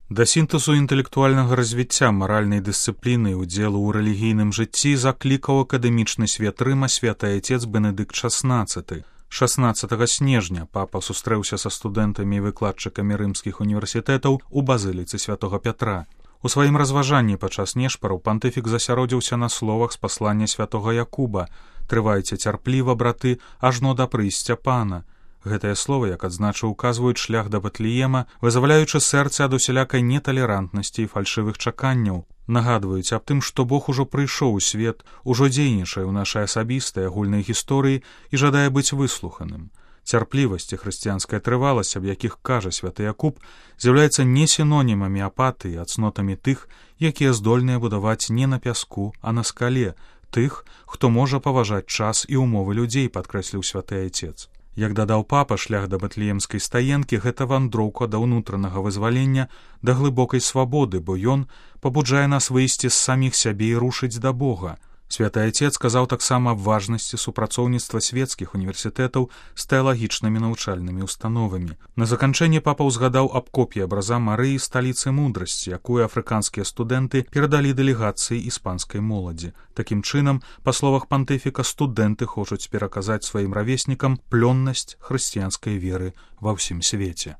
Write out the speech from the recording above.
Да сінтэзу інтэлектуальнага развіцця маральнай дысцыпліны і ўдзелу ў рэлігійным жыцці заклікаў акадэмічны свет Рыма святы айцец Бенедыкт XVI. 16 снежня папа сустрэўся са студэнтамі і выкладчыкамі рымскіх універсітэтаў у базыліцы святога Пятра. У сваім разважанні падчас нешпараў пантыфік засяродзіўся на словах з паслання святога Якуба: «Трывайце цярпліва, браты, ажно да прыйсця пана». Гэтыя словы, як адзначыў, указваюць шлях да Бэтлеема, вызваляючы сэрца ад усялякай неталерантнасці і фальшывых чаканняў. Нагадваюць аб тым, што Бог ужо прыйшоў у свет, ужо дзейнічае ў нашай асабістай агульнай гісторыі і жадае быць выслуханым. Цярплівасць і хрысціянская трываласць, аб якіх кажа святы Якуб, з'яўляецца не сінонімамі апатыі, а цнотамі тых, якія здольныя будаваць не на пяску, а на скале, тых, хто можа паважаць час і умовы людзей, падкрэсліў святы айцец. Як дадаў папа, шлях да бэтлеемскай стаенкі — гэта вандроўка да ўнутранага вызвалення, да глыбокай свабоды, бо ён пабуджае нас выйсці з саміх сябе і рушыць да Бога. Святы айцец сказаў таксама аб важнасці супрацоўніцтва свецкіх універсітэтаў з тэалагічнымі навучальнымі установамі. На заканчэнне папа ўзгадаў аб копіі абраза Марыі сталіцы мудрасці, якую афрыканскія студэнты перадалі дэлегацыі іспанскай моладзі. Такім чынам, па словах пантыфіка, студэнты хочуць пераказаць сваім равеснікам плённасць хрысціянскай веры ва ўсім свеце.